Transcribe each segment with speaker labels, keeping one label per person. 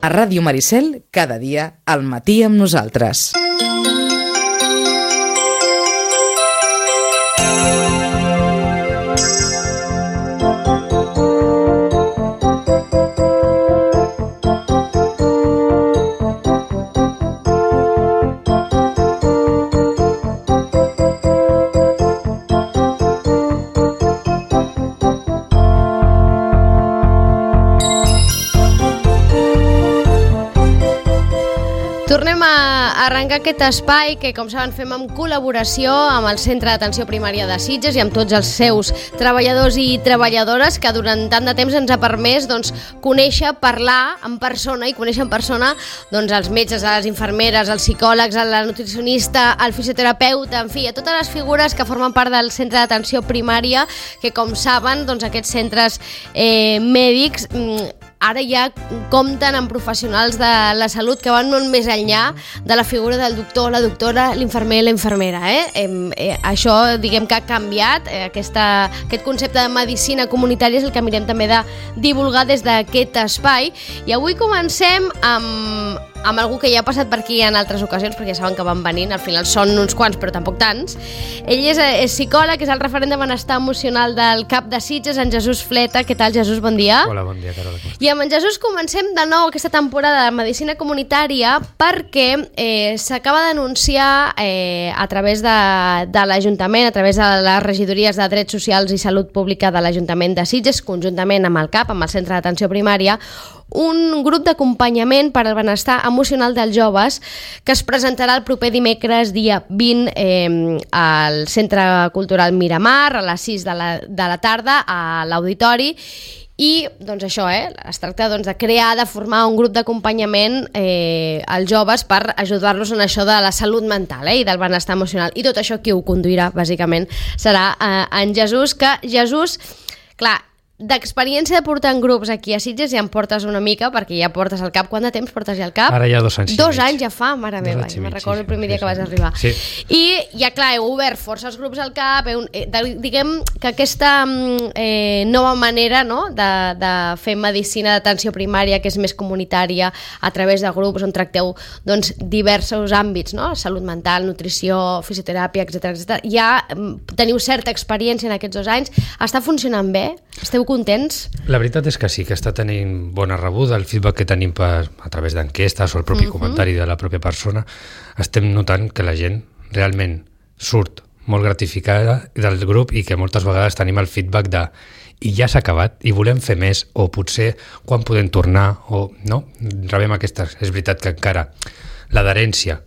Speaker 1: A Ràdio Maricel, cada dia, al matí amb nosaltres.
Speaker 2: Tornem a arrencar aquest espai que, com saben, fem en col·laboració amb el Centre d'Atenció Primària de Sitges i amb tots els seus treballadors i treballadores, que durant tant de temps ens ha permès conèixer, parlar en persona i conèixer en persona els metges, les infermeres, els psicòlegs, la nutricionista, el fisioterapeuta, en fi, a totes les figures que formen part del Centre d'Atenció Primària, que, com saben, aquests centres mèdics ara ja compten amb professionals de la salut que van molt més enllà de la figura del doctor, la doctora, l'infermer, la infermera. Això, diguem que ha canviat. Aquest concepte de medicina comunitària és el que mirem també de divulgar des d'aquest espai. I avui comencem amb algú que ja ha passat per aquí en altres ocasions, perquè ja saben que van venint, al final són uns quants, però tampoc tants. Ell és psicòleg, és el referent de benestar emocional del CAP de Sitges, en Jesús Fleta. Què tal, Jesús? Bon dia.
Speaker 3: Hola, bon dia, Carola.
Speaker 2: I amb en Jesús comencem de nou aquesta temporada de medicina comunitària perquè s'acaba d'anunciar a través de l'Ajuntament, a través de les regidories de Drets Socials i Salut Pública de l'Ajuntament de Sitges, conjuntament amb el CAP, amb el Centre d'Atenció Primària, un grup d'acompanyament per al benestar emocional dels joves que es presentarà el proper dimecres, dia 20, al Centre Cultural Miramar, a les 6 de la tarda, a l'auditori. I això, es tracta de crear, de formar un grup d'acompanyament als joves per ajudar-los en això de la salut mental i del benestar emocional. I tot això qui ho conduirà, bàsicament, serà en Jesús, que Jesús, clar, d'experiència de portar en grups aquí a Sitges ja en portes una mica, perquè ja portes al CAP. Quant de temps portes ja al CAP?
Speaker 3: Ara ja 2 anys.
Speaker 2: 2 anys ja fa, mare meva. Me'n recordo el primer dia que vas arribar.
Speaker 3: Sí.
Speaker 2: I ja, clar, heu obert força els grups al CAP. Diguem que aquesta nova manera de fer medicina d'atenció primària, que és més comunitària, a través de grups on tracteu diversos àmbits, salut mental, nutrició, fisioteràpia, etc. Ja teniu certa experiència en aquests 2 anys. Està funcionant bé? Esteu contents?
Speaker 3: La veritat és que sí, que està tenint bona rebuda. El feedback que tenim a través d'enquestes o el propi comentari de la pròpia persona, estem notant que la gent realment surt molt gratificada del grup i que moltes vegades tenim el feedback de i ja s'ha acabat i volem fer més, o potser quan podem tornar, o no, rebem aquestes. És veritat que encara l'adherència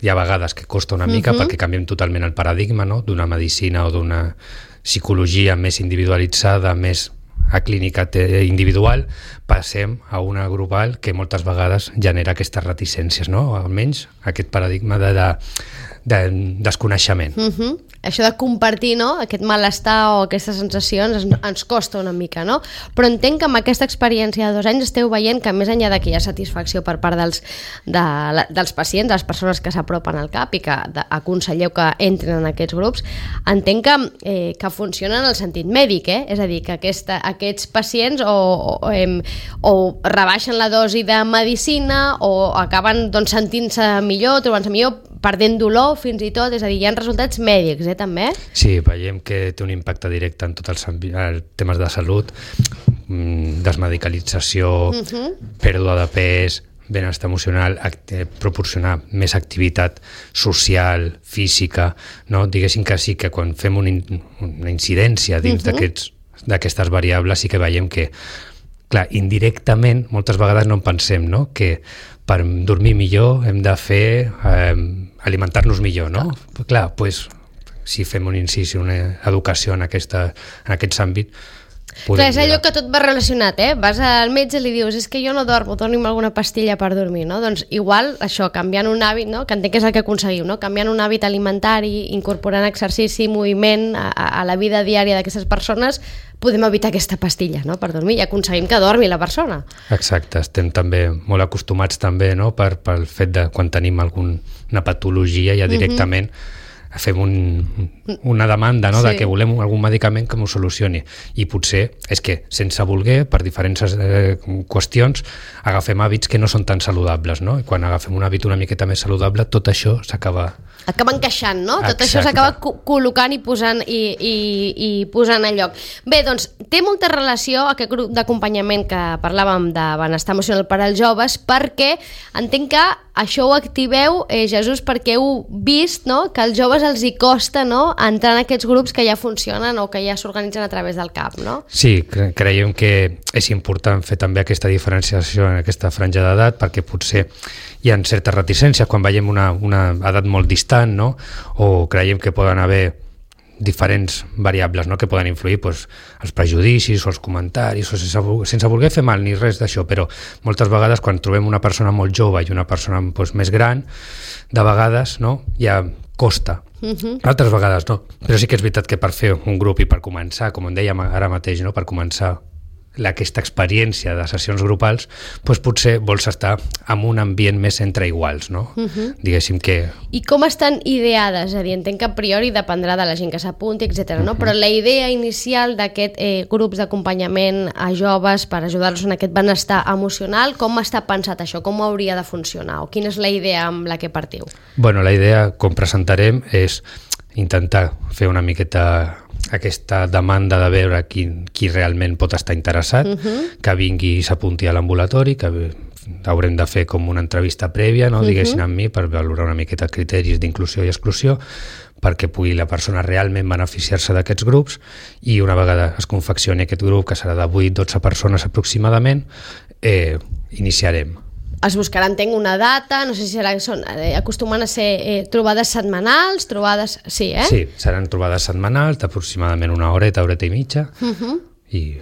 Speaker 3: hi ha vegades que costa una mica perquè canviem totalment el paradigma d'una medicina o d'una psicologia més individualitzada, més a clínica individual, passem a una grupal que moltes vegades genera aquestes reticències, almenys aquest paradigma de desconeixement.
Speaker 2: Això de compartir aquest malestar o aquestes sensacions ens costa una mica, però entenc que amb aquesta experiència de 2 anys esteu veient que més enllà de que hi ha satisfacció per part dels pacients, de les persones que s'apropen al CAP i que aconselleu que entren en aquests grups, entenc que funciona en el sentit mèdic, és a dir, que aquests pacients o rebaixen la dosi de medicina o acaben sentint-se millor, trobant-se millor, perdent dolor fins i tot, és a dir, hi ha resultats mèdics, també?
Speaker 3: Sí, veiem que té un impacte directe en tots els temes de salut, desmedicalització, pèrdua de pes, benestar emocional, proporcionar més activitat social, física, diguéssim que sí que quan fem una incidència dins d'aquestes variables sí que veiem que, clar, indirectament moltes vegades no en pensem, que per dormir millor hem de fer alimentar-nos millor, Clar, si fem un incís i una educació en aquest àmbit,
Speaker 2: clar, és allò que tot va relacionat, vas al metge i li dius, és que jo no dormo, doni'm alguna pastilla per dormir, doncs igual això, canviant un hàbit, que entenc que és el que aconseguiu, canviant un hàbit alimentari, incorporant exercici, moviment a la vida diària d'aquestes persones, podem evitar aquesta pastilla per dormir i aconseguim que dormi la persona.
Speaker 3: Exacte, estem també molt acostumats també pel fet de quan tenim alguna patologia ja directament fem una demanda, no? De que volem algun medicament que m'ho solucioni, i potser és que sense voler, per diferents qüestions, agafem hàbits que no són tan saludables, no? I quan agafem un hàbit una miqueta més saludable, tot això s'acaba
Speaker 2: encaixant, no?
Speaker 3: Exacte.
Speaker 2: Tot això s'acaba col·locant i posant a lloc. Bé, doncs, té molta relació aquest grup d'acompanyament que parlàvem de benestar emocional per als joves, perquè entenc que això ho activeu, Jesús, perquè heu vist, no?, que als joves els hi costa, no?, entrar en aquests grups que ja funcionen o que ja s'organitzen a través del CAP, no?
Speaker 3: Sí, creiem que és important fer també aquesta diferenciació en aquesta franja d'edat, perquè potser hi ha certes reticències quan veiem una edat molt distant, no?, o creiem que poden haver diferents variables, no?, que poden influir, doncs, els prejudicis o els comentaris, o sense voler fer mal ni res d'això, però moltes vegades quan trobem una persona molt jove i una persona, doncs, més gran, de vegades, no?, ja costa. Altres vegades no, però sí que és veritat que per fer un grup i per començar, com en dèiem ara mateix, no?, per començar aquesta experiència de sessions grupals, doncs potser vols estar en un ambient més entre iguals, no? Diguéssim que...
Speaker 2: I com estan ideades? És a dir, entenc que a priori dependrà de la gent que s'apunti, etc. No? Però la idea inicial d'aquest grups d'acompanyament a joves per ajudar-los en aquest benestar emocional, com està pensat això? Com hauria de funcionar? O quina és la idea amb la que partiu?
Speaker 3: Bueno, la idea, com presentarem, és intentar fer una miqueta aquesta demanda de veure qui realment pot estar interessat, que vingui i s'apunti a l'ambulatori, que haurem de fer com una entrevista prèvia, no, diguessin amb mi, per valorar una miqueta criteris d'inclusió i exclusió, perquè pugui la persona realment beneficiar-se d'aquests grups, i una vegada es confeccioni aquest grup, que serà de 8-12 persones aproximadament, iniciarem.
Speaker 2: Es buscarà, entenc, una data, no sé si acostumen a ser trobades setmanals, trobades... Sí, eh?
Speaker 3: Sí, seran trobades setmanals d'aproximadament una horeta i mitja, i...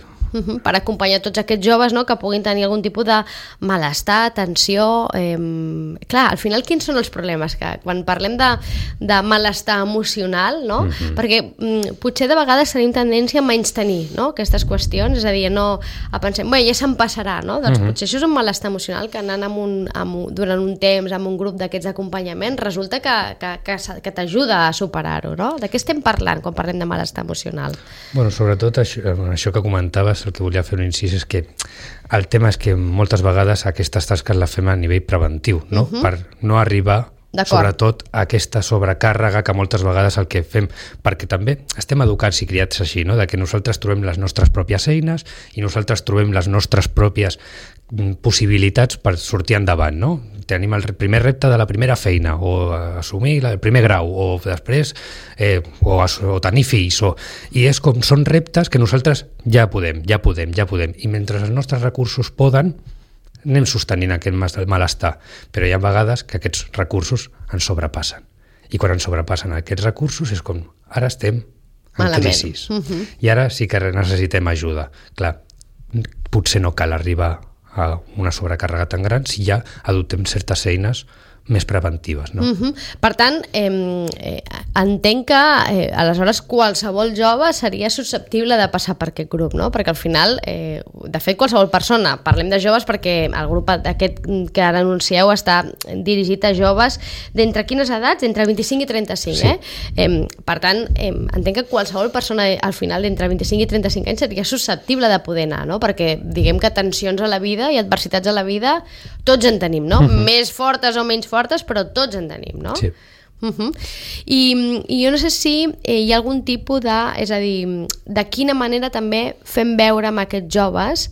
Speaker 2: per acompanyar tots aquests joves, no?, que puguin tenir algun tipus de malestar, tensió... Clar, al final quins són els problemes? Que quan parlem de malestar emocional, no? Perquè potser de vegades tenim tendència a menystenir, no?, aquestes qüestions, és a dir, no a pensar, bé, ja se'n passarà, no? Doncs potser això és un malestar emocional que anant durant un temps amb un grup d'aquests d'acompanyament resulta que t'ajuda a superar-ho, no? De què estem parlant quan parlem de malestar emocional?
Speaker 3: Bueno, sobretot això que comentaves, el que volia fer un incís és que el tema és que moltes vegades aquestes tasques les fem a nivell preventiu, no? Per no arribar sobretot a aquesta sobrecàrrega que moltes vegades el que fem, perquè també estem educats i criats així, no?, de que nosaltres trobem les nostres pròpies eines i nosaltres trobem les nostres pròpies possibilitats per sortir endavant, no? Tenim el primer repte de la primera feina, o assumir el primer grau, o després o tenir fills, i és com són reptes que nosaltres ja podem, i mentre els nostres recursos poden, anem sostenint aquest malestar, però hi ha vegades que aquests recursos ens sobrepassen, i quan ens sobrepassen aquests recursos és com, ara estem en crisi, i ara sí que necessitem ajuda. Clar, potser no cal arribar a una sobrecàrrega tan gran si ja adoptem certes eines més preventives, no?
Speaker 2: Per tant, entenc que aleshores qualsevol jove seria susceptible de passar per aquest grup, no? Perquè al final, de fet, qualsevol persona, parlem de joves perquè el grup aquest que ara anuncieu està dirigit a joves d'entre quines edats? Entre 25 i 35, sí. Per tant, entenc que qualsevol persona al final d'entre 25 i 35 anys seria susceptible de poder anar, no? Perquè diguem que tensions a la vida i adversitats a la vida tots en tenim, no? Més fortes o menys fortes, però tots en tenim, no?
Speaker 3: Sí.
Speaker 2: I jo no sé si hi ha algun tipus de... És a dir, de quina manera també fem veure amb aquests joves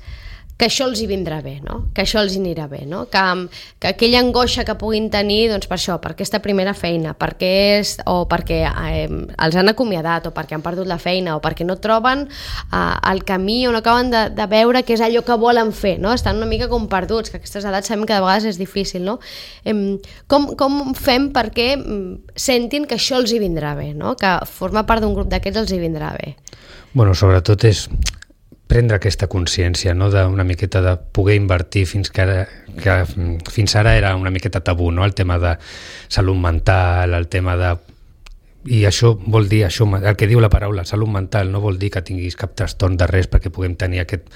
Speaker 2: que això els hi vindrà bé, no? Que això els hi anirà bé, no? Que aquella angoixa que puguin tenir, doncs per això, per aquesta primera feina, o perquè els han acomiadat, o perquè han perdut la feina, o perquè no troben el camí, o no acaben de veure què és allò que volen fer, no? Estan una mica com perduts, que a aquestes edats sabem que de vegades és difícil, no? Com fem perquè sentin que això els hi vindrà bé, no? Que formar part d'un grup d'aquests els hi vindrà bé?
Speaker 3: Bueno, sobretot és prendre aquesta consciència, no?, d'una miqueta de poder invertir que fins ara era una miqueta tabú, no?, el tema de salut mental, el tema de... I això vol dir, el que diu la paraula, salut mental, no vol dir que tinguis cap trastorn de res perquè puguem tenir aquest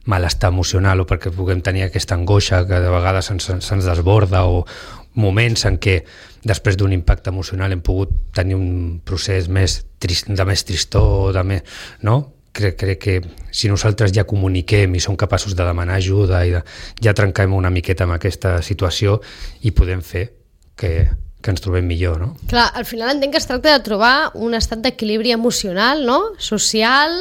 Speaker 3: malestar emocional o perquè puguem tenir aquesta angoixa que de vegades se'ns desborda o moments en què després d'un impacte emocional hem pogut tenir un procés de més tristor, no? Crec que si nosaltres ja comuniquem i som capaços de demanar ajuda i ja trenquem una miqueta amb aquesta situació i podem fer que ens trobem millor, no?
Speaker 2: Clar, al final entenc que es tracta de trobar un estat d'equilibri emocional, no? Social,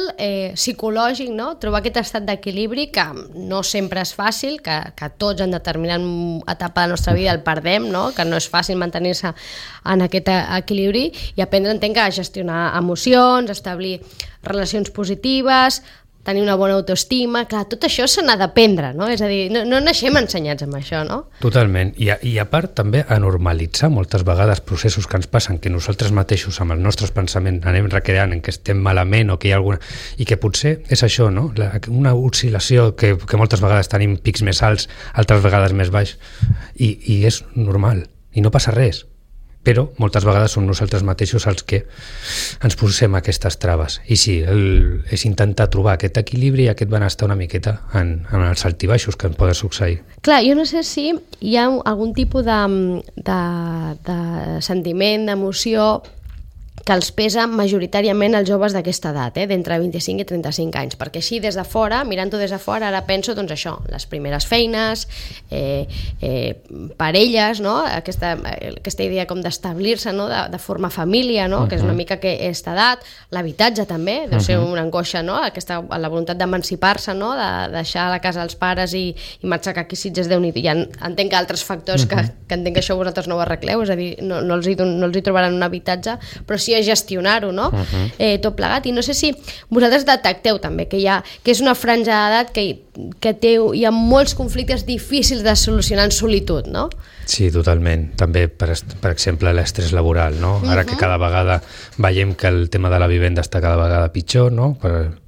Speaker 2: psicològic, no? Trobar aquest estat d'equilibri que no sempre és fàcil, que tots en determinant etapa de la nostra vida el perdem, no? Que no és fàcil mantenir-se en aquest equilibri i aprendre, entenc, a gestionar emocions, establir relacions positives, tenir una bona autoestima, clar, tot això se n'ha d'aprendre, no? És a dir, no naixem ensenyats amb això, no?
Speaker 3: Totalment, i a part també a normalitzar moltes vegades processos que ens passen, que nosaltres mateixos amb els nostres pensaments anem recreant en què estem malament o que hi ha alguna... I que potser és això, no? Una oscil·lació que moltes vegades tenim pics més alts, altres vegades més baix, i és normal, i no passa res. Però moltes vegades som nosaltres mateixos els que ens posem aquestes traves. I sí, és intentar trobar aquest equilibri i aquest benestar una miqueta en els altibaixos que ens poden succeir.
Speaker 2: Clar, jo no sé si hi ha algun tipus de sentiment, d'emoció que els pesa majoritàriament els joves d'aquesta edat, d'entre 25 i 35 anys, perquè així des de fora, mirant-ho des de fora, ara penso, doncs això, les primeres feines, parelles, no? Aquesta idea com d'establir-se, no? De formar família, no? Que és una mica aquesta edat, l'habitatge també, deu ser una angoixa, no? La voluntat d'emancipar-se, no? De deixar la casa als pares i marxar aquí a Sitges, Déu-n'hi-do. Ja entenc que altres factors que entenc que això vosaltres no ho arregleu, és a dir, no els hi trobaran un habitatge, però sí a gestionar-ho, no? Tot plegat. I no sé si vosaltres detecteu també que és una franja d'edat que hi ha molts conflictes difícils de solucionar en solitud, no?
Speaker 3: Sí, totalment. També, per exemple, l'estrès laboral, no? Ara que cada vegada veiem que el tema de la vivenda està cada vegada pitjor, no?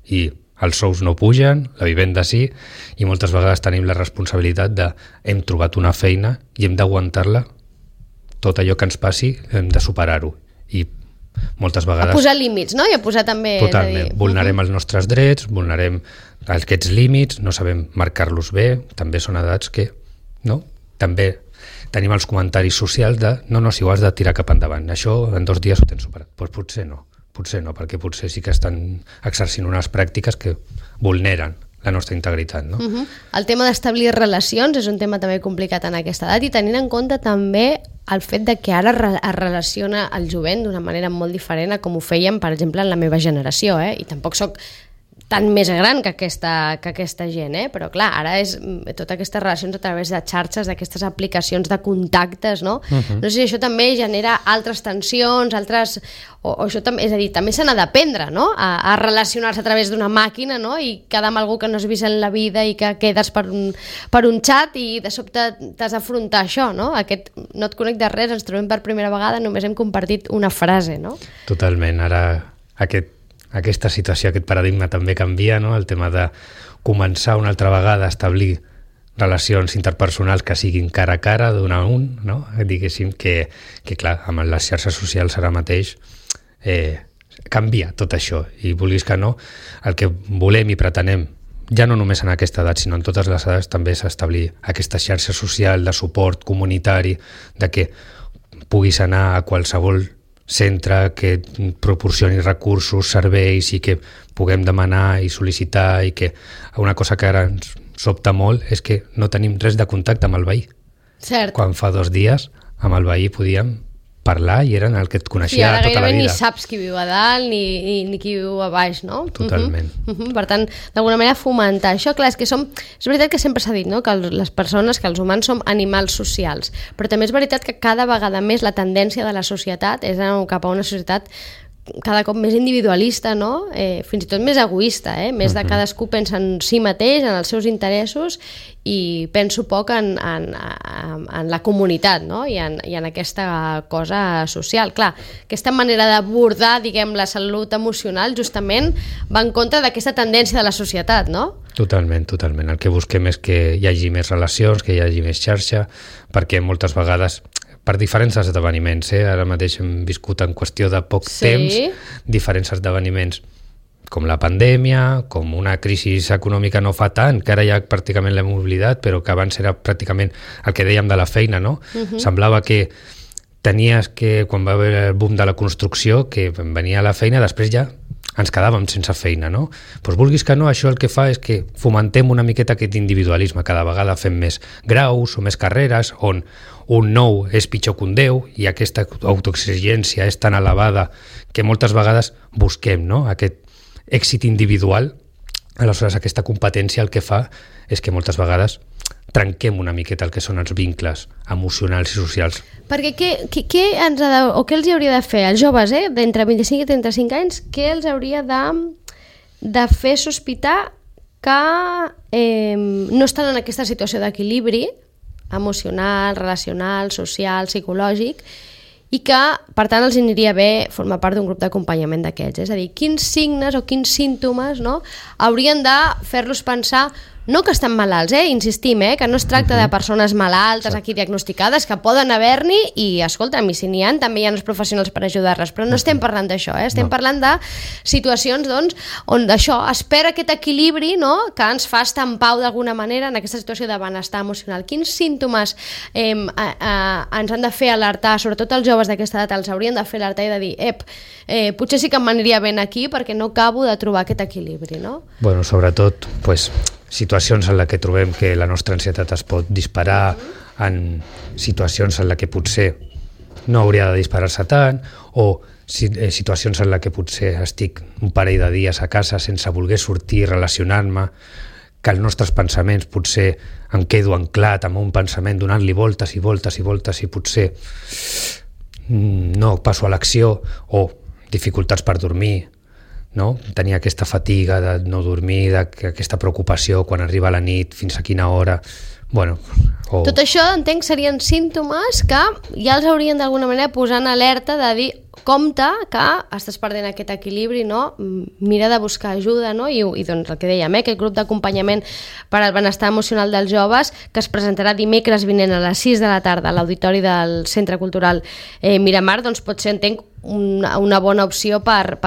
Speaker 3: I els sous no pugen, la vivenda sí, i moltes vegades tenim la responsabilitat de hem trobat una feina i hem d'aguantar-la, tot allò que ens passi hem de superar-ho. I moltes vegades...
Speaker 2: A posar límits, no? I a posar també...
Speaker 3: Totalment. Vulnerem els nostres drets, vulnerem aquests límits, no sabem marcar-los bé, també són edats que, no? També tenim els comentaris socials de no, si ho has de tirar cap endavant, això en 2 dies ho tens superat. Doncs potser no, perquè potser sí que estan exercint unes pràctiques que vulneren la nostra integritat, no?
Speaker 2: El tema d'establir relacions és un tema també complicat en aquesta edat i tenint en compte també el fet de que ara es relaciona el jovent d'una manera molt diferent a com ho fèiem, per exemple, en la meva generació, i tampoc sóc tan més gran que aquesta gent, però clar, ara és totes aquestes relacions a través de xarxes, d'aquestes aplicacions de contactes, no? No sé si això també genera altres tensions, o això també, és a dir, també se n'ha d'aprendre, no? A relacionar-se a través d'una màquina, no? I quedar amb algú que no has vist en la vida i que quedes per un xat i de sobte t'has d'afrontar això, no? Aquest no et conec de res, ens trobem per primera vegada, només hem compartit una frase, no?
Speaker 3: Totalment, ara aquesta situació, aquest paradigma també canvia, no? El tema de començar una altra vegada a establir relacions interpersonals que siguin cara a cara, d'un a un, no? Diguéssim que clar, amb les xarxes socials ara mateix canvia tot això, i vulguis que no, el que volem i pretenem, ja no només en aquesta edat, sinó en totes les edats, també és establir aquesta xarxa social de suport comunitari, de que puguis anar a qualsevol centre que proporcioni recursos, serveis i que puguem demanar i sol·licitar, i que una cosa que ara ens sobta molt és que no tenim res de contacte amb el veí.
Speaker 2: Cert.
Speaker 3: Quan fa 2 dies amb el veí podíem parlar i eren el que et coneixia tota la vida.
Speaker 2: Sí, ara gairebé ni saps qui viu a dalt ni qui viu a baix, no?
Speaker 3: Totalment.
Speaker 2: Per tant, d'alguna manera fomentar això. Clar, és veritat que sempre s'ha dit, no? Que les persones, que els humans som animals socials, però també és veritat que cada vegada més la tendència de la societat és anar cap a una societat cada cop més individualista, no? Fins i tot més egoista, més de cadascú pensa en si mateix, en els seus interessos, i penso poc en la comunitat, no? I en aquesta cosa social. Clar, aquesta manera d'abordar, diguem, la salut emocional justament va en contra d'aquesta tendència de la societat, no?
Speaker 3: Totalment. El que busquem és que hi hagi més relacions, que hi hagi més xarxa, perquè moltes vegades per diferents esdeveniments, ara mateix hem viscut en qüestió de poc temps diferents esdeveniments com la pandèmia, com una crisi econòmica no fa tant, que ara ja pràcticament l'hem oblidat, però que abans era pràcticament el que dèiem de la feina, no? Semblava que tenies que, quan va haver el boom de la construcció, que venia la feina, després ja ens quedàvem sense feina, no? Doncs vulguis que no, això el que fa és que fomentem una miqueta aquest individualisme, cada vegada fem més graus o més carreres, on un 9 és pitjor que un 10 i aquesta autoexigència és tan elevada que moltes vegades busquem, no?, aquest èxit individual. Aleshores aquesta competència el que fa és que moltes vegades trenquem una miqueta el que són els vincles emocionals i socials.
Speaker 2: Perquè què ens ha de, o què els hauria de fer als joves d'entre 25 i 35 anys, què els hauria de fer sospitar que no estan en aquesta situació d'equilibri emocional, relacional, social, psicològic, i que, per tant, els aniria bé formar part d'un grup d'acompanyament d'aquests. És a dir, quins signes o quins símptomes, no, haurien de fer-los pensar, no que estan malalts, insistim, que no es tracta de persones malaltes aquí diagnosticades, que poden haver-n'hi i, escolta'm, i si n'hi ha, també hi ha els professionals per ajudar-les, però no estem parlant d'això, estem parlant de situacions, doncs, on d'això es perd aquest equilibri, no?, que ens fa estar en pau d'alguna manera en aquesta situació de benestar emocional. Quins símptomes ens han de fer alertar, sobretot els joves d'aquesta edat, els haurien de fer alertar i de dir, potser sí que m'aniria ben aquí perquè no acabo de trobar aquest equilibri, no?
Speaker 3: Bueno, sobretot, pues, situacions en les que trobem que la nostra ansietat es pot disparar, en situacions en les que potser no hauria de disparar-se tant, o situacions en les que potser estic un parell de dies a casa sense voler sortir, relacionar-me, que els nostres pensaments potser em quedo anclat amb un pensament donant-li voltes i voltes i voltes i potser no passo a l'acció, o dificultats per dormir, no? Tenir aquesta fatiga de no dormir, aquesta preocupació quan arriba la nit, fins a quina hora. Bueno,
Speaker 2: tot això, entenc, serien símptomes que ja els haurien d'alguna manera posar en alerta de dir, compte que estàs perdent aquest equilibri, no? Mira de buscar ajuda, no? I doncs el que dèiem, aquest grup d'acompanyament per al benestar emocional dels joves, que es presentarà dimecres vinent a les 6 de la tarda a l'auditori del Centre Cultural Miramar, doncs pot ser, entenc, una bona opció per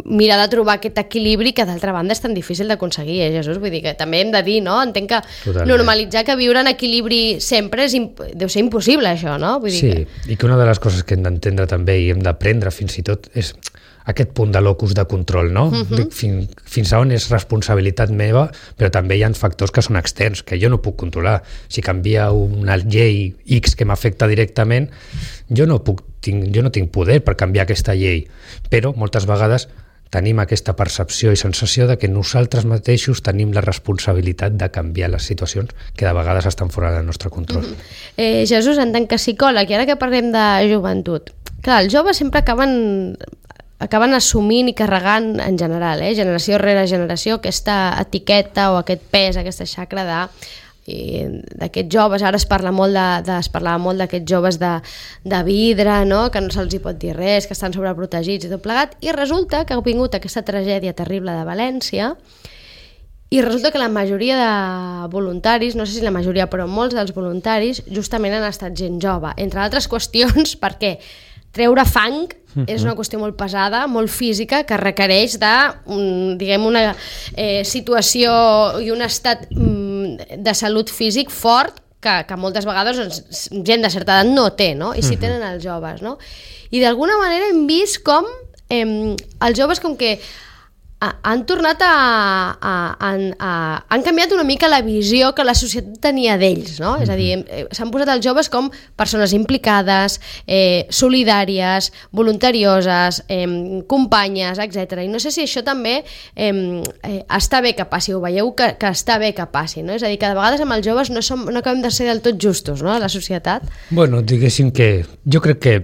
Speaker 2: mirar de trobar aquest equilibri que d'altra banda és tan difícil d'aconseguir, Jesús? Vull dir que també hem de dir, no? Entenc que totalment. Normalitzar que viure en equilibri sempre deu ser impossible, això, no? Vull dir
Speaker 3: sí, i que una de les coses que hem d'entendre també i hem d'aprendre fins i tot és aquest punt de locus de control, no? Fins a on és responsabilitat meva, però també hi ha factors que són externs, que jo no puc controlar. Si canvia una llei X que m'afecta directament, jo no tinc poder per canviar aquesta llei, però moltes vegades tenim aquesta percepció i sensació de que nosaltres mateixos tenim la responsabilitat de canviar les situacions que de vegades estan fora del nostre control.
Speaker 2: Jesús, en tant que psicòleg, i ara que parlem de joventut, clar, els joves sempre acaben assumint i carregant en general, generació rere generació, aquesta etiqueta o aquest pes, aquesta xacra d'aquests joves. Ara es parlava molt d'aquests joves de vidre, no? Que no se'ls hi pot dir res, que estan sobreprotegits i tot plegat, i resulta que ha vingut aquesta tragèdia terrible de València i resulta que la majoria de voluntaris, no sé si la majoria, però molts dels voluntaris justament han estat gent jove, entre altres qüestions perquè treure fang és una qüestió molt pesada, molt física, que requereix una situació i un estat de salut físic fort que moltes vegades gent de certa edat no té, no? I sí tenen els joves, no? I d'alguna manera hem vist com els joves com que han tornat han canviat una mica la visió que la societat tenia d'ells, no? És a dir, s'han posat els joves com persones implicades, solidàries, voluntarioses, companyes, etc. I no sé si això també està bé que passi, ho veieu que està bé que passi, no? És a dir, que de vegades amb els joves no acabem de ser del tot justos, no?, a la societat.
Speaker 3: Bueno, diguéssim que jo crec que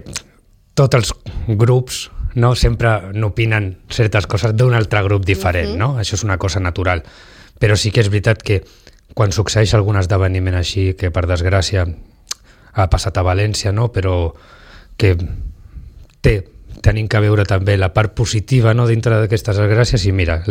Speaker 3: tots els grups no sempre n'opinen certes coses d'un altre grup diferent, no? Això és una cosa natural. Però sí que és veritat que quan succeeix algun esdeveniment així, que per desgràcia ha passat a València, no? Però que tenim que veure també la part positiva, no?, dintre d'aquestes desgràcies, i mira,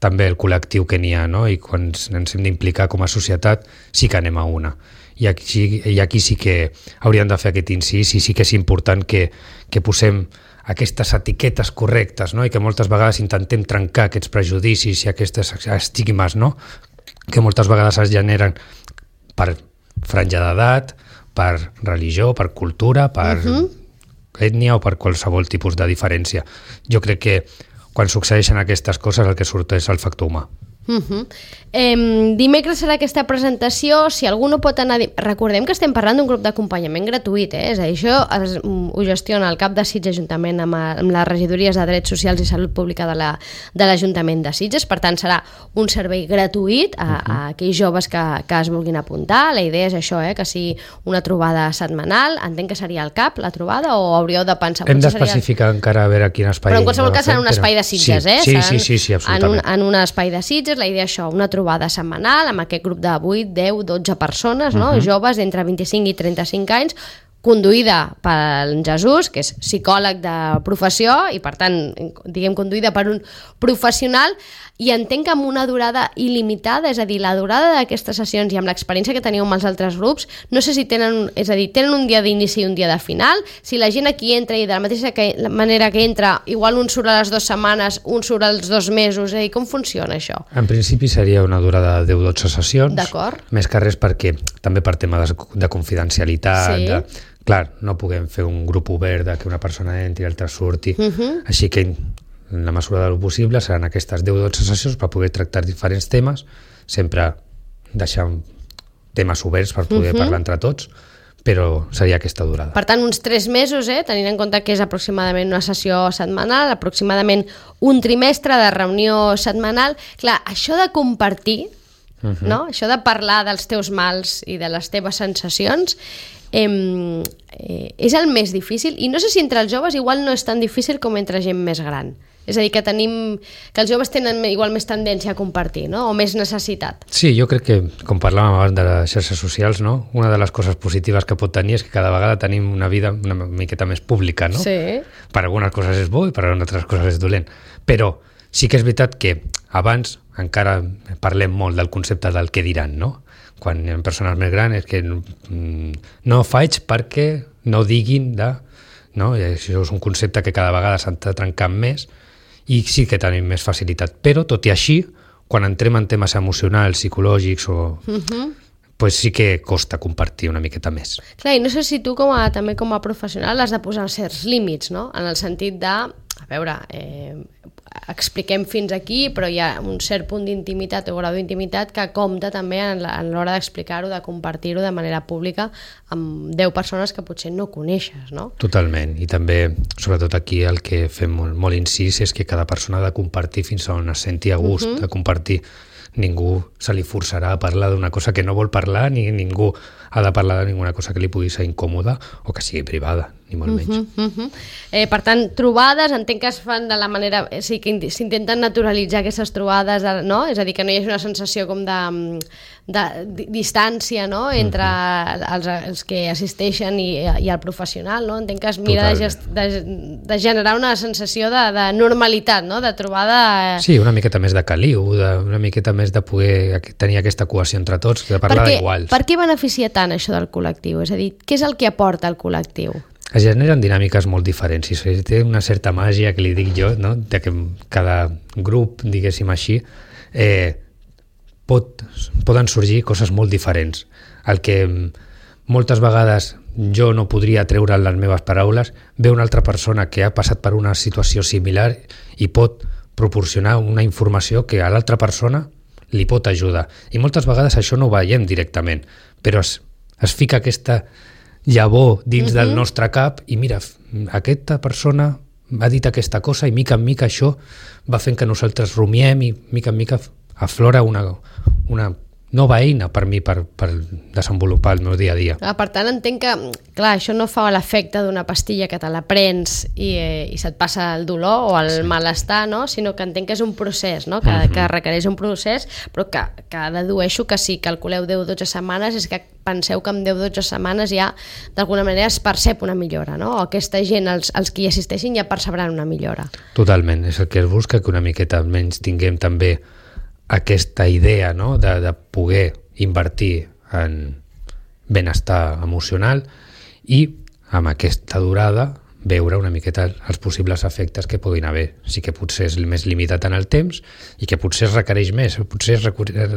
Speaker 3: també el col·lectiu que n'hi ha, no? I quan ens hem d'implicar com a societat sí que anem a una. I aquí sí que hauríem de fer aquest incís, i sí que és important que posem aquestes etiquetes correctes, no? I que moltes vegades intentem trencar aquests prejudicis i aquestes estigmes, no? Que moltes vegades es generen per franja d'edat, per religió, per cultura, per ètnia o per qualsevol tipus de diferència. Jo crec que quan succeeixen aquestes coses el que surt és el factor humà.
Speaker 2: Dimecres serà aquesta presentació. Si algú no pot anar... Recordem que estem parlant d'un grup d'acompanyament gratuït, és a dir, això ho gestiona el cap de Sitges juntament amb les regidories de Drets Socials i Salut Pública de l'Ajuntament de Sitges. Per tant, serà un servei gratuït a aquells joves que es vulguin apuntar. La idea és això, que sigui una trobada setmanal. Entenc que seria al CAP la trobada, o hauríeu de pensar...
Speaker 3: Hem d'especificar encara a veure quin espai...
Speaker 2: Però en qualsevol cas serà un espai de Sitges,
Speaker 3: Sí, absolutament.
Speaker 2: En un espai de Sitges. La idea és això, una trobada setmanal amb aquest grup de 8, 10, 12 persones, no? Joves entre 25 i 35 anys, conduïda per Jesús, que és psicòleg de professió i, per tant, diguem, conduïda per un professional, i entenc que amb una durada il·limitada, és a dir, la durada d'aquestes sessions i amb l'experiència que teniu amb els altres grups, no sé si tenen un dia d'inici i un dia de final, si la gent aquí entra i de la mateixa manera que entra, igual un surt a les 2 setmanes, un surt als 2 mesos, és a dir, com funciona això?
Speaker 3: En principi seria una durada de 10-12 sessions,
Speaker 2: d'acord,
Speaker 3: més que res perquè també per tema de confidencialitat, clar, no puguem fer un grup obert de que una persona entri i l'altra surti, així que en la mesura del possible seran aquestes 10-12 sessions per poder tractar diferents temes, sempre deixant temes oberts per poder parlar entre tots, però seria aquesta durada.
Speaker 2: Per tant, uns 3 mesos, tenint en compte que és aproximadament una sessió setmanal, aproximadament un trimestre de reunió setmanal. Clar, això de compartir, no? Això de parlar dels teus mals i de les teves sensacions, és el més difícil, i no sé si entre els joves igual no és tan difícil com entre gent més gran. És a dir, que els joves tenen igual més tendència a compartir, no? O més necessitat.
Speaker 3: Sí, jo crec que, com parlàvem abans de les xarxes socials, no? Una de les coses positives que pot tenir és que cada vegada tenim una vida una miqueta més pública, no?
Speaker 2: Sí.
Speaker 3: Per algunes coses és bo i per altres coses és dolent. Però sí que és veritat que abans encara parlem molt del concepte del què diran, no? Quan hi ha persones més grans és que no faig perquè no diguin de... No? I això és un concepte que cada vegada s'ha trencat més i sí que tenim més facilitat. Però, tot i així, quan entrem en temes emocionals, psicològics pues sí que costa compartir una miqueta més.
Speaker 2: Clar, i no sé si tu també com a professional has de posar certs límits, no? En el sentit de, a veure, expliquem fins aquí, però hi ha un cert punt d'intimitat o grau d'intimitat que compta també en l'hora d'explicar-ho, de compartir-ho de manera pública amb 10 persones que potser no coneixes, no?
Speaker 3: Totalment, i també, sobretot aquí, el que fem molt incís és que cada persona ha de compartir fins on es senti a gust de compartir. Ningú se li forçarà a parlar d'una cosa que no vol parlar, ni ningú ha de parlar de ninguna cosa que li pugui ser incòmoda o que sigui privada, ni molt menys.
Speaker 2: Per tant, trobades, entenc que es fan de la manera... Sí, que s'intenten naturalitzar aquestes trobades, no? És a dir, que no hi hagi una sensació com de distància, no? Entre els que assisteixen i el professional, no? Entenc que es mira de generar una sensació de normalitat, no? De trobada...
Speaker 3: Sí, una miqueta més de caliu, una miqueta més de poder tenir aquesta cohesió entre tots, de parlar d'iguals.
Speaker 2: Per què beneficia tant això del col·lectiu? És a dir, què és el que aporta el col·lectiu?
Speaker 3: Es generen dinàmiques molt diferents i té una certa màgia, que li dic jo, no? De que cada grup, diguéssim així, poden sorgir coses molt diferents. El que moltes vegades jo no podria treure en les meves paraules, ve una altra persona que ha passat per una situació similar i pot proporcionar una informació que a l'altra persona li pot ajudar. I moltes vegades això no ho veiem directament, però es fica aquesta llavor dins del nostre cap i mira, aquesta persona ha dit aquesta cosa i mica en mica això va fent que nosaltres rumiem i mica en mica aflora una nova eina per mi per desenvolupar el meu dia a dia.
Speaker 2: Per tant, entenc que, clar, això no fa l'efecte d'una pastilla que te la prens i se't passa el dolor o el malestar, no? Sinó que entenc que és un procés, no? Que requereix un procés, però que dedueixo que si calculeu 10-12 setmanes és que penseu que en 10-12 setmanes ja d'alguna manera es percep una millora, no? O aquesta gent, els que hi assisteixin, ja percebran una millora.
Speaker 3: Totalment, és el que es busca, que una miqueta almenys tinguem també aquesta idea, no? de poder invertir en benestar emocional i amb aquesta durada veure una miqueta els possibles efectes que puguin haver. Sí que potser és més limitat en el temps i que potser es requereix més, potser es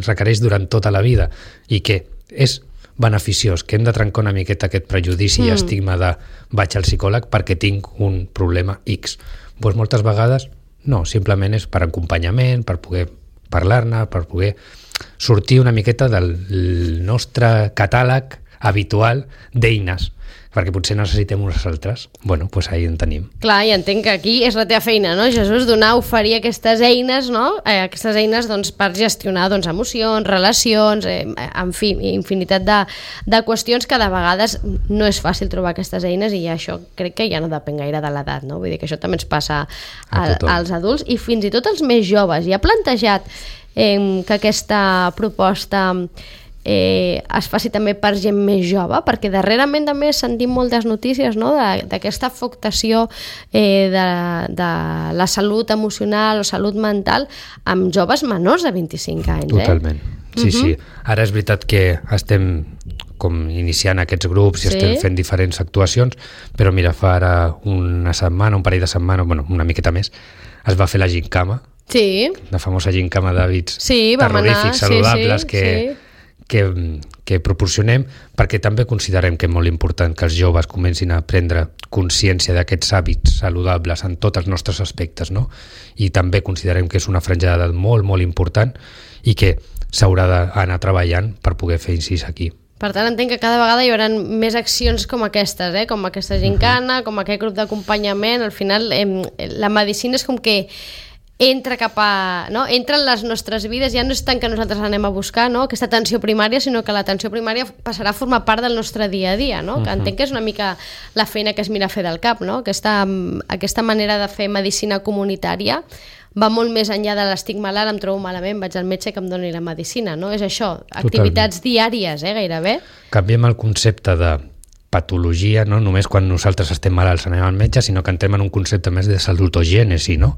Speaker 3: requereix durant tota la vida i que és beneficiós, que hem de trencar una miqueta aquest prejudici i estigma de vaig al psicòleg perquè tinc un problema X. Doncs moltes vegades no, simplement és per acompanyament, per poder parlar-ne, per poder sortir una miqueta del nostre catàleg habitual d'eines, perquè potser necessitem unes altres. Bueno, doncs ahí en tenim.
Speaker 2: Clar, i entenc que aquí és la teva feina, no, Jesús? Donar, oferir aquestes eines, no? Aquestes eines doncs, per gestionar doncs, emocions, relacions, en fi, infinitat de qüestions que de vegades no és fàcil trobar aquestes eines i això crec que ja no depèn gaire de l'edat, no? Vull dir que això també ens passa als adults i fins i tot als més joves. I ha plantejat que aquesta proposta es faci també per gent més jove, perquè darrerament també sentim moltes notícies, no? D'aquesta afectació de la salut emocional o salut mental amb joves menors de 25 anys.
Speaker 3: Totalment, sí. Ara és veritat que estem com iniciant aquests grups i estem fent diferents actuacions, però mira, fa ara una setmana, un parell de setmanes, bueno, una miqueta més, es va fer la gincama, la famosa gincama d'hàbits terrorífics, saludables, que proporcionem, perquè també considerem que és molt important que els joves comencin a prendre consciència d'aquests hàbits saludables en tots els nostres aspectes, no? I també considerem que és una franja d'edat molt, molt important i que s'haurà d'anar treballant per poder fer incís aquí.
Speaker 2: Per tant, entenc que cada vegada hi haurà més accions com aquestes, com aquesta gincana, com aquest grup d'acompanyament. Al final, la medicina és com que entra cap a... No? Entra en les nostres vides, ja no és tant que nosaltres anem a buscar, no? Aquesta atenció primària, sinó que l'atenció primària passarà a formar part del nostre dia a dia, no? Que entenc que és una mica la feina que es mira a fer del cap, no? Aquesta manera de fer medicina comunitària va molt més enllà de l'estigma, ara em trobo malament, vaig al metge que em doni la medicina, no? És això, activitats diàries, gairebé.
Speaker 3: Canviem el concepte de patologia, no només quan nosaltres estem malalts anem al metge, sinó que entrem en un concepte més de salutogènesi, no?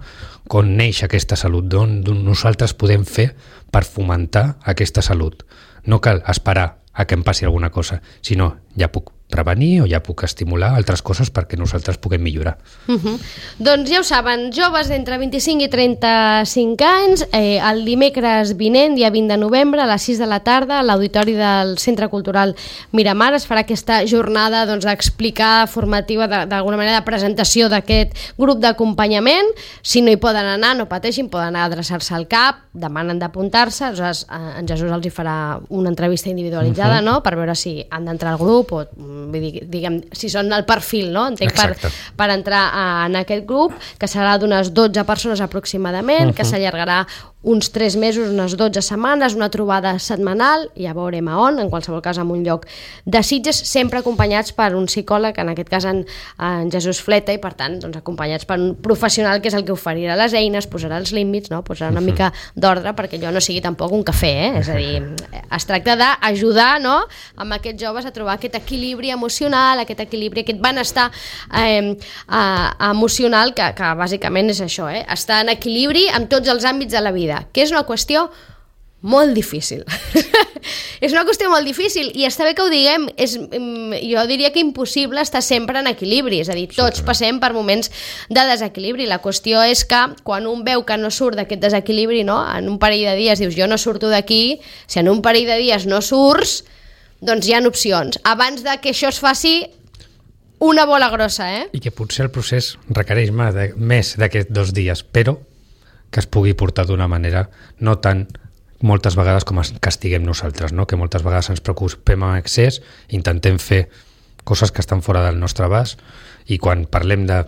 Speaker 3: Com neix aquesta salut, d'on nosaltres podem fer per fomentar aquesta salut. No cal esperar a que em passi alguna cosa, sinó ja puc prevenir o ja puc estimular altres coses perquè nosaltres puguem millorar.
Speaker 2: Doncs ja ho saben, joves d'entre 25 i 35 anys, el dimecres vinent, dia 20 de novembre, a les 6 de la tarda, a l'auditori del Centre Cultural Miramar es farà aquesta jornada d'explicar formativa, d'alguna manera de presentació d'aquest grup d'acompanyament. Si no hi poden anar, no pateixin, poden anar a adreçar-se al CAP, demanen d'apuntar-se, aleshores en Jesús els hi farà una entrevista individualitzada, no? Per veure si han d'entrar al grup o vull dir, diguem, si són el perfil, no? Entenc per entrar en aquest grup, que serà d'unes 12 persones aproximadament, que s'allargarà uns 3 mesos, unes 12 setmanes, una trobada setmanal, ja veurem a on, en qualsevol cas en un lloc de Sitges, sempre acompanyats per un psicòleg, en aquest cas en Jesús Fleta, i per tant doncs, acompanyats per un professional que és el que oferirà les eines, posarà els límits, no? Posarà una mica d'ordre perquè allò no sigui tampoc un cafè, és a dir, es tracta d'ajudar, no? Amb aquests joves a trobar aquest equilibri emocional, aquest equilibri, aquest benestar emocional que bàsicament és això, estar en equilibri amb tots els àmbits de la vida, que és una qüestió molt difícil. És una qüestió molt difícil i està bé que ho diguem, jo diria que impossible estar sempre en equilibri, és a dir, tots passem per moments de desequilibri. La qüestió és que quan un veu que no surt d'aquest desequilibri, no? En un parell de dies dius jo no surto d'aquí, si en un parell de dies no surts, doncs hi ha opcions. Abans de que això es faci una bola grossa,
Speaker 3: I que potser el procés requereix més d'aquests 2 dies, però que es pugui portar d'una manera no tan moltes vegades com que estiguem nosaltres, no? Que moltes vegades ens preocupem en excés, intentem fer coses que estan fora del nostre abast i quan parlem de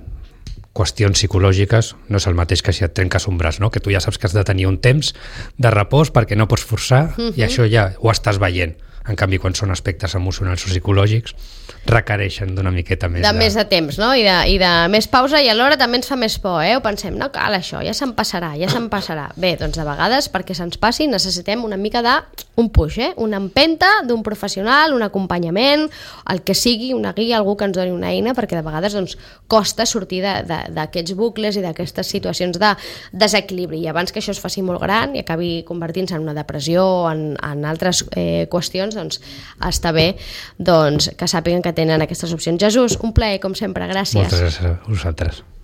Speaker 3: qüestions psicològiques no és el mateix que si et trenques un braç, no? Que tu ja saps que has de tenir un temps de repòs perquè no pots forçar i això ja ho estàs veient. En canvi, quan són aspectes emocionals o psicològics, requereixen d'una miqueta més
Speaker 2: més de temps, no? I de més pausa, i alhora també ens fa més por, Ho pensem, no cal això, ja se'n passarà. Bé, doncs de vegades, perquè se'ns passi, necessitem una mica d'un push, una empenta d'un professional, un acompanyament, el que sigui, una guia, algú que ens doni una eina, perquè de vegades doncs, costa sortir d'aquests bucles i d'aquestes situacions de desequilibri. I abans que això es faci molt gran i acabi convertint-se en una depressió o en altres qüestions, doncs està bé doncs, que sàpiguen que tenen aquestes opcions. Jesús, un plaer, com sempre, gràcies.
Speaker 3: Moltes gràcies a vosaltres.